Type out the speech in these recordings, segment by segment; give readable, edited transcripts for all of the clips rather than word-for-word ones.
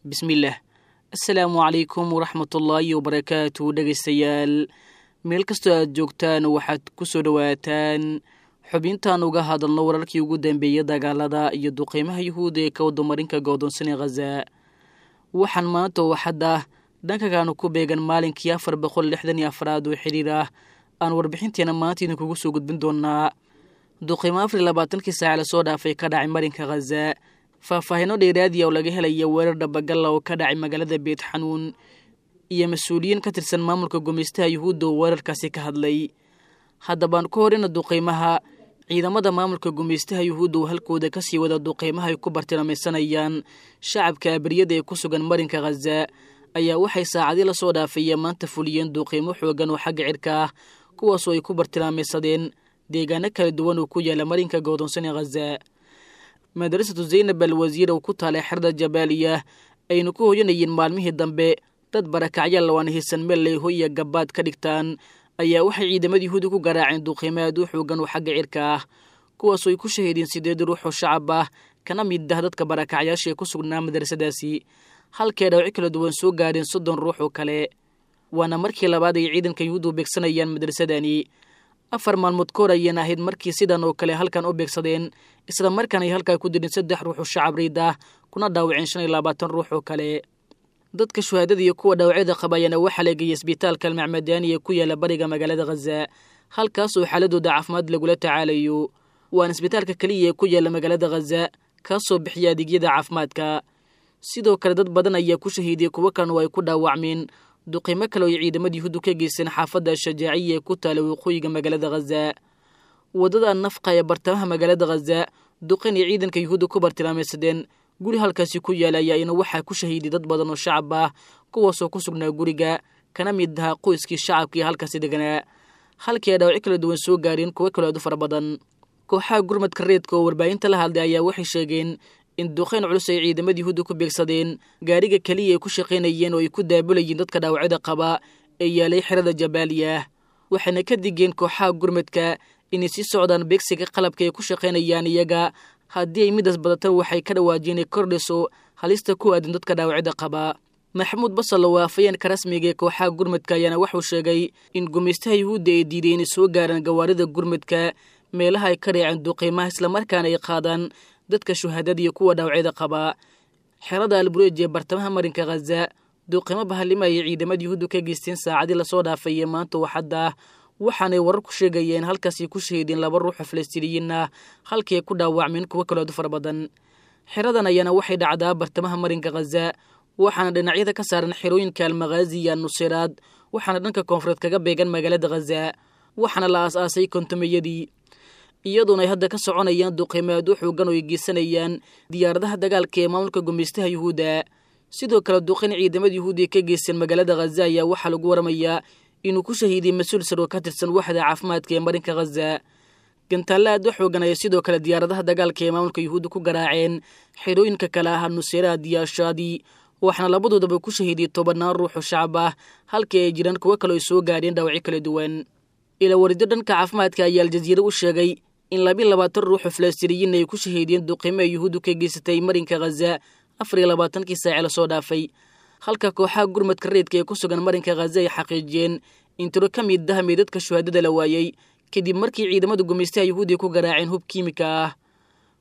Bismillaah. Assalaamu calaykum waraxmatullaahi wabarakaatu. Dhegaystayaal, meel kastoo aad joogtaan, waxaad ku soo dhowaataan xubintaan uga hadalno wararkii ugu dambeeyay dagaalada iyo duqeymaha yuhuudda ee ka wadamarinka go'doonsanee Khaza. Waxaan maanta oo xadda dhankagaanu ku beegan maalinkii 464aad oo xiriir ah aan warbixinteena maanta idinkugu soo gudbin doonaa duqeymo 24kii saaca lasoo dhaafay ka dhacay marinka Khaza, faahfaahino dheeraadiya oo laga helaya weerar dhabagalla oo ka dhacay magaalada Beet Xanuun, iyo mas-uuliyiin ka tirsan maamulka gumaystaha yuhuudda oo weerarkaasi ka hadlay. Haddabaan ku horeyna duqeymaha ciidamada maamulka gumaystaha yuhuudda oo halkooda kasii wada duqeymaha ay ku bartilmeysanayaan shacabka abriyada ee ku sugan marinka Khaza ayaa waxay saacadii lasoo dhaafaya maanta fuliyeen duqeymo xoogan oo xagga cirka ah, kuwaasoo ay ku bartilmaameysadeen deegaano kala duwan oo ku yaala marinka go'doonsan ee Khaza. Madrasatu Zaynab al Wasiir oo ku taalay xerda Jabaaliya aynu ku hoyanayeen maalmihii dambe dad barakacyaal oo aan haysan meel ay hoy iyo gabaad ka dhigtaan ayaa waxay ciidamada yuhuudda ku garaaceen duqeymo aad u xoogan oo xagga cirka ah, kuwaasoo ay ku shahiideen 8 ruux oo shacab ah kana mid ah dadka barakacyaasha ee ku sugnaa madrasadaasi, halkii ay dhaawacyo kala duwan soo gaadheen 30 ruux oo kale. Waana markii labaad ay ciidanka yuhuuddu beegsanayaan madrasadani. 4 maalmood kahor ayeen ahayd markii sidan oo kale halkan u beegsadeen, isla markaan ay halkaa ku dileen 3 ruux oo shacab riid ah kuna dhaawaceen 25 ruux oo kale. Dadka shuhaadada iyo kuwa dhaawacyada qaba ayaana waxaa la geeyey isbitaalka Almacmadaani ee ku yaala bariga magaalada Khaza, halkaasoo xaaladooda caafimaad lagula tacaalayo. Waana isbitaalka keliya ee ku yaala magaalada Khaza kaasoo bixiya adeegyada caafimaadka. Sidoo kale dad badan ayaa ku shahiidiyey, kuwo kalena oo ay ku dhaawacmeen duqeymo kale oo ay ciidamada yuhuuddu ka geysteen xaafadda Shajaaciya ee ku taala waqooyiga magaalada Khaza. Waddada Nafqa ee bartamaha magaalada Khaza duqeyn ay ciidanka yuhuudda ku bartilmaameysadeen guri halkaasi ku yaala ayaa ina waxaa ku shahiiday dad badan oo shacab ah, kuwaasoo ku sugnaa guriga kana mid ahaa qoyskii shacabkii halkaasi deganaa, halkii ay dhaawacyo kala duwan soo gaareen kuwo kaloo aad u fara badan. Kooxaha gurmadka reedka oo warbaahinta la hadlay ayaa waxay sheegeen in duqeyn culus ay ciidamada yuhuudda ku beegsadeen gaariga keliya ay ku shaqaynayeen oo ay ku daabulayeen dadka dhaawacyada qaba ee yaalay xerada Jabaaliya. Waxayna ka digeen kooxaha gurmadka inay sii socdaan beegsiga qalabka ay ku shaqaynayaan iyaga, haddii ay midaas badatan waxay ka dhawaajiyeen inay kordhiso halista ku aadan dadka dhaawacyada qaba. Maxamuud Basal oo afayeenka rasmiga ee kooxaha gurmadka ayaana wuxuu sheegay in gumaystaha yuhuudda ay diiday inay soo gaaraan gawaarida gurmadka meelaha ay ka reeceen duqeymaha, islamarkaana ay qaadaan dadka shuhaadada iyo kuwa dhaawacyada qaba. Xerada Albureej ee bartamaha marinka Khaza duqeymo bahalima ayay ciidamada yuhuuddu ka geysteen saacadii lasoo dhaafay ee maanta oo xadda ah, waxaanay warar ku sheegayeen halkaasay ku shahiideen 2 ruux oo falastiiniyiin ah, halkii ay ku dhaawacmeen kuwo kaloo aad u fara badan. Xeradan ayaana waxay dhacdaa bartamaha marinka Khaza, waxaana dhinacyada ka saaran xerooyinka Almakhaazi iyo Nuseyraad, waxaana dhanka koonfureed kaga beegan magaalada Khaza, waxaana la aas-aasay kontomeyadii, iyadoona ay hadda ka soconayaan duqeymo aad u xoogan oo ay geysanayaan diyaaradaha dagaalka ee maamulka gumaystaha yuhuudda. Sidoo kale duqeyn ciidamada yuhuudda ee ka geysteen magaalada Khaza ayaa waxaa lagu waramayaa inuu ku shahiiday mas-uul sar oo ka tirsan waxda caafimaadka ee marinka Khaza. Gantaalle aad u xoogan ayay sidoo kale diyaaradaha dagaalka ee maamulka yuhuudda ku garaaceen xerooyinka kale ah Nuseyraad iyo Ashaadi, waxaana labadoodaba ku shahiiday 10 ruux oo shacab ah, halkii ay jiraan kuwo kale ay soo gaadheen dhaawacyo kala duwan. Ilawarido dhanka caafimaadka ayaa Aljaziira u sheegay in 22 ruux oo falastiiniyiin ay ku shahiideen duqeymo ay yuhuuddu ka geysatay marinka Khaza 24kii saace lasoo dhaafay, halka kooxaha gurmadka reedka ee ku sugan marinka Khaza ay xaqiijiyeen in tiro ka mid ah meydadka shuhaadada la waayey kadib markii ciidamada gumaystaha yuhuudda ku garaaceen hub kiimika ah.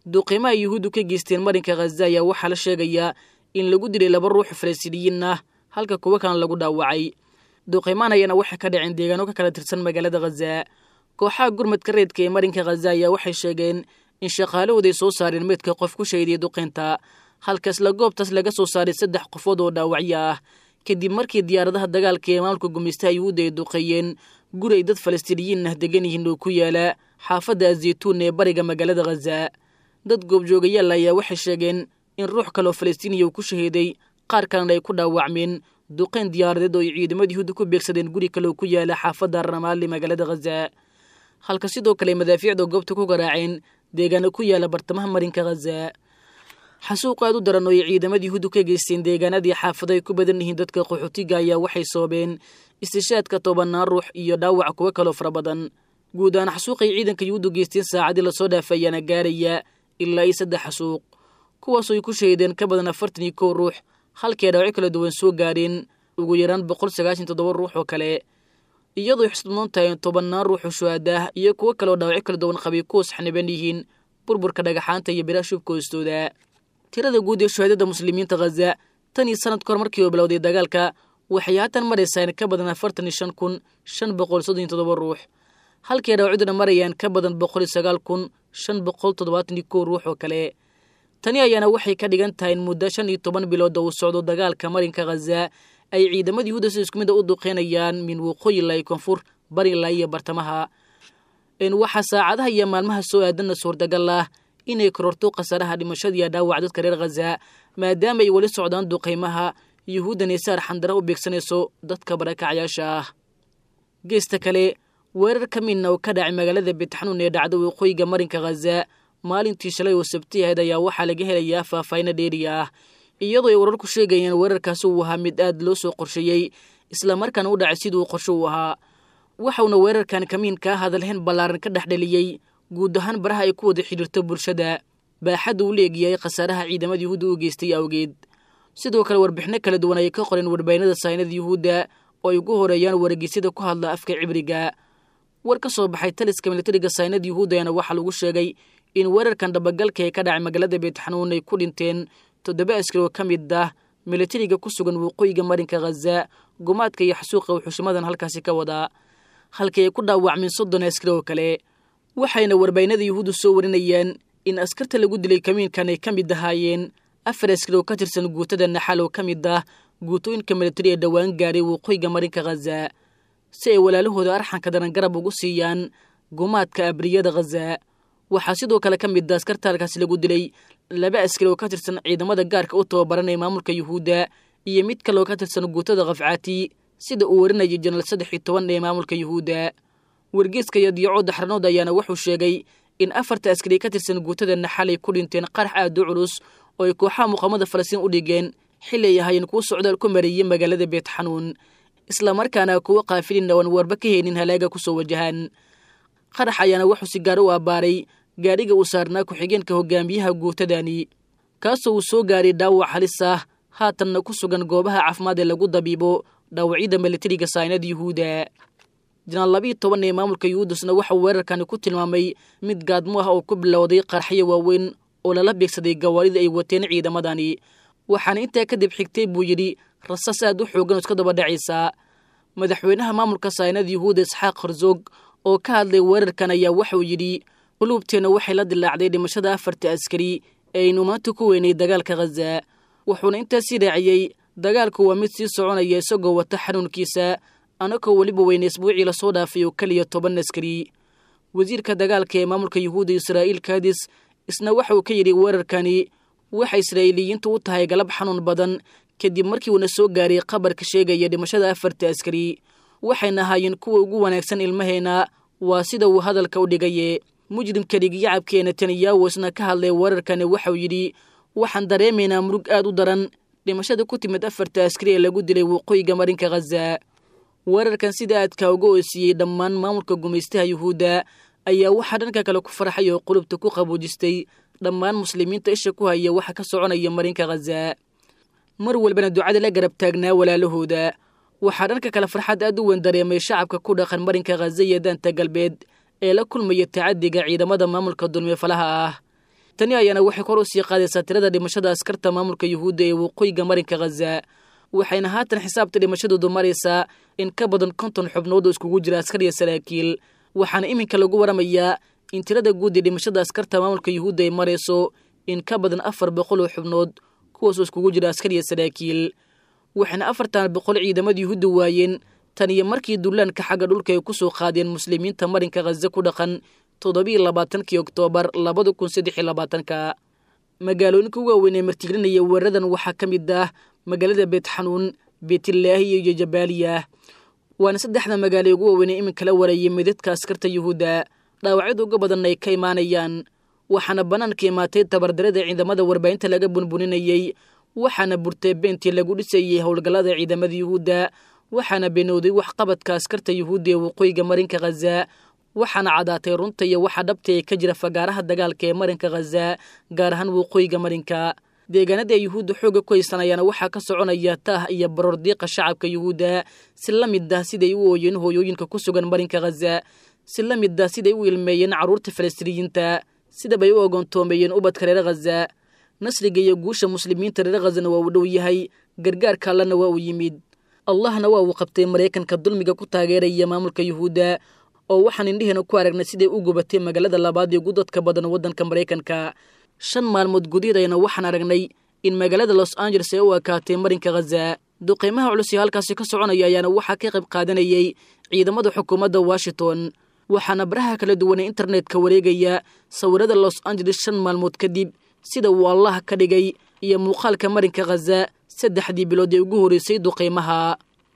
Duqeymaha ay yuhuuddu ka geysteen marinka Khaza ayaa waxaa la sheegayaa in lagu dilay 2 ruux oo falastiiniyiin ah, halka kuwo kalena lagu dhaawacay. Duqeymahan ayaana waxay ka dhaceen deegaano ka kala tirsan magaalada Khaza. Kooxaha gurmadka reedka ee marinka Khaza ayaa waxay sheegeen in shaqaalahooday soo saareen meydka qof ku shahiidiyay duqeynta, halka isla goobtaas laga soo saaray 3 qofood oo dhaawacyo ah kadib markii diyaaradaha dagaalka ee maamulka gumaystaha yuhuudda ay duqeeyeen guri ay dad falastiiniyiin ah degan yihiin oo ku yaala xaafadda Azeytuun ee bariga magaalada Khaza. Dad goobjoogayaal ayaa waxay sheegeen in ruux kaloo falastiiniya uu ku shahiiday, qaar kalena ay ku dhaawacmeen duqeyn diyaaradeed oo ay ciidamada yuhuudda ku beegsadeen guri kale oo ku yaala xaafadda Ramaali magaalada Khaza, halka sidoo kale madaafiicda goobta ku garaaceen deegaano ku yaala bartamaha marinka Khaza. Xasuuq aad u daran oo ay ciidamada yuhuuddu ka geysteen deegaanadii xaafado ay ku badan yihiin dadka qaxootiga ayaa waxay sababeen istishaadka 10 ruux iyo dhaawac kuwo kaloo fara badan. Guud ahaan xasuuqay ciidanka yuhuuddu geysteen saacadii lasoo dhaafay ayaana gaaraya ilaa iyo 3 xasuuq, kuwaasoo ay ku shahiideen ka badan 41 ruux, halkii ay dhaawacyo kala duwan soo gaareen ugu yaraan 197 ruux oo kale, iyadoo xusudmoon tahay in tobannaan ruux oo shuhaadaah iyo kuwo kale oo dhaawacyo kala duwan qabay kuwas xaniban yihiin burburka dhagaxaanta iyo biraha shubka hoostooda. Tirada guud ee shuhaadada muslimiinta Khaza tan iyo sanad kahor markii uu bilowday dagaalka waxay haatan maraysaa in ka badan 45,537 ruux, halkii ay dhaawacyaduna marayaan ka badan 109,571 ruux oo kale. Tani ayaana waxay ka dhigan tahay in muddo 15 bilood oo uu socdo dagaalka marinka Khaza ay ciidamada Yuhuudda si isku mid a u duqeynayaan min waqooyi ilaa koonfur, bari ilaa iyo bartamaha. In waxaa saacadaha iyo maalmaha soo aadanna suurtagal ah inay kororto khasaaraha dhimashada iyo dhaawaca dadka reer Khaza, maadaama ay weli socdaan duqeymaha Yuhuuddan ee saar xandara u beegsanayso dadka barakacayaasha ah. Geesta kale, weerar ka midna oo ka dhacay magaalada Beetxanuun ee dhacda waqooyiga marinka Khaza maalintii shalay oo sabti ahayd ayaa waxaa laga helayaa faahfaahino dheeri ah, iyadoo ay wararku sheegayeen weerarkaasi uu ahaa mid aad loo soo qorsheeyey islamarkaana u dhacay siduu qorshe u ahaa. Waxauna weerarkan kamiinkaa hadalhayn ballaaran ka dhexdheliyey guud ahaan baraha ay ku wada xidhiirto bulshada, baaxadda uu leegyahay khasaaraha ciidamada Yuhuudda u geystay awgeed. Sidoo kale warbixino kala duwan ayay ka qoreen warbahinada saynada Yuhuudda oo ay ugu horeeyaan wargeysyada ku hadla afka Cibriga. War ka soo baxay taliska militariga saynada Yuhuudda ayaana waxaa lagu sheegay in weerarkan dhabagalka ee ka dhacay magaalada Beetxanuun ay ku dhinteen 7 askari oo ka mid ah militariga ku sugan waqooyiga marinka Khaza, gumaadka iyo xasuuqa uu xushimadan halkaasi ka wadaa, halkii ay ku dhaawacmeen 30 askari oo kale. Waxayna warbahinada Yuhuuddu soo warinayaan in askarta lagu dilay kamiinkan ay ka mid ahaayeen 4 askari oo ka tirsan guutada Naxal oo ka mid ah guutooyinka militari ee dhowaan gaaray waqooyiga marinka Khaza, si ay walaalahooda arxanka daran garab ugu siiyaan gumaadka abriyada Khaza. Waxaa sidoo kale ka mid ah askarta halkaasi lagu dilay 2 askari oo ka tirsan ciidamada gaarka u tababaran ee maamulka Yuhuudda iyo mid kale oo ka tirsan guutada Khafcaati, sida uu warinayay Janaal 13 ee maamulka Yuhuudda. Wargeyska Yadiico Daxranood ayaana wuxuu sheegay in 4 askari ka tirsan guutada Naxal ay ku dhinteen qarax aad u culus oo ay kooxaha muqaamada Falastiin u dhigeen xilli ay ahaayeen kuwo socdaal ku mareeyay magaalada Beetxanuun, islamarkaana kuwo qaafilin aan warba ka heynin halaaga ku soo wajahan. Qarax ayaana wuxuu si gaar u abbaaray gaadhiga uu saarnaa ku-xigeenka hogaamiyaha guutadani, kaasoo uu soo gaaray dhaawac halis ah, haatanna ku sugan goobaha caafimaad ee lagu dabiibo dhaawacyada militariga saynada Yuhuudda. Janaal 12 ee maamulka Yuhuuddasna waxauu weerarkani ku tilmaamay mid gaadmo ah oo ku bilowday qarxyo waaweyn oo lala beegsaday gawaarida ay wateen ciidamadani, waxaana intaa kadib xigtay buu yidhi rasaas aad u xooggan oo iska daba dhacaysa. Madaxweynaha maamulka saynada Yuhuudda Isxaaq Herzog oo ka hadlay weerarkan ayaa waxauu yidhi quluubteenna waxay la dilaacday dhimashada 4 askari ee aynu maanta ku weynay dagaalka Khaza. Wuxuuna intaasii raaciyey dagaalku waa mid sii soconaya isagoo wata xanuunkiisa, anakoo weliba weynay isbuucii lasoo dhaafay oo keliya 10 askari. Wasiirka dagaalka ee maamulka Yuhuudda Israa'iil Kadis isna waxa uu ka yidhi weerarkani waxa Israa'iiliyiintu u tahay galab xanuun badan kadib markii uuna soo gaaray khabarka sheegaya dhimashada 4 askari, waxayna ahaayeen kuwa ugu wanaagsan ilmaheenna, waa sida uu hadalka u dhigaye. Mujrimka dhigyacabka ee Netanyahu isna ka hadlay weerarkani waxauu yidhi waxaan dareemaynaa murug aad u daran dhimashada ku timid 4 askari ee lagu dilay waqooyiga marinka Khaza. Weerarkan sida aadka uga oosiiyey dhammaan maamulka gumaystaha Yuhuudda ayaa waxaa dhanka kale ku farxay oo qulubta ku qaboojistay dhammaan muslimiinta isha ku haya waxa ka soconaya marinka Khaza, mar walbana ducada la garab taagnaa walaalahooda. Waxaa dhanka kale farxad aad u weyn dareemay shacabka ku dhaqan marinka Khaza iyo daanta galbeed ee la kulmaya tacadiga ciidamada maamulka dulmifalaha ah. Tani ayaana waxay kor u sii qaadaysaa tirada dhimashada askarta maamulka Yuhuudda ee waqooyiga marinka Khaza, waxayna haatan xisaabta dhimashadoodu maraysaa in ka badan 50 xubnood oo iskugu jira askar iyo saraakiil. Waxaana iminka lagu waramayaa in tirada guud ee dhimashada askarta maamulka Yuhuudda ay marayso in ka badan 400 oo xubnood, kuwaasoo iskugu jira askar iyo saraakiil. Waxayna 400 ciidamada Yuhuudda waayeen tan iyo markii dullaanka xagga dhulka ay ku soo qaadeen muslimiinta marinka Khaza ku dhaqan 27 Oktoobar 2023. Magaalooyinka ugu waaweyn ee martigelinaya weeraradan waxaa ka mid ah magaalada Beetxanuun, Beetilaahi iyo Jabaaliya, waana 3 magaalo ugu waaweyn ee iminka la wareeyay midadka askarta Yuhuudda, dhaawacyada uga badan ay ka imaanayaan. Waxaana bannaanka imaatay tabardarada ciidamada warbaahinta laga bunbuninayey, waxaana burtay beentii lagu dhisayey howlgallada ciidamada Yuhuudda, waxaana beenowday waxqabadka askarta Yuhuudda ee waqooyiga marinka Khaza, waxaana cadaatay runta iyo waxa dhabta ee ka jira fagaaraha dagaalka ee marinka Khaza, gaar ahaan waqooyiga marinka. Deegaanada ay yuhuudda xoogga ku haysanayaana waxaa ka soconaya taah iyo baroor diiqa shacabka yuhuudda, si la mid ah siday u ooyeen hooyooyinka ku sugan marinka Khaza, si la mid ah siday u ilmeeyeen carruurta Falastiiniyiinta, sidabay u ogoontoomeeyeen ubadka reer Khaza. Nasriga iyo guusha muslimiinta reer Khazana waa uu dhow yahay, gargaarka allana waa uu yimid. Allahna waa uu qabtay Maraykanka dulmiga ku taageeraya maamulka yuhuudda, oo waxaan indheheena ku aragnay siday u gubatay magaalada labaad ee ugu dadka badan waddanka Maraykanka. 5 maalmood gudiheedayna waxaan aragnay in magaalada Los Angeles ay u ekaatay marinka Khaza. Duqeymaha culus ee halkaasi ka soconaya ayaana waxaa ka qayb qaadanayay ciidamada xukuumadda Washington, waxaana baraha kala duwan ee internetka wareegaya sawirada Los Angeles 5 maalmood kadib sida uu Allah ka dhigay iyo muuqaalka marinka Khaza 3dii bilood ee ugu horreysay duqeymaha.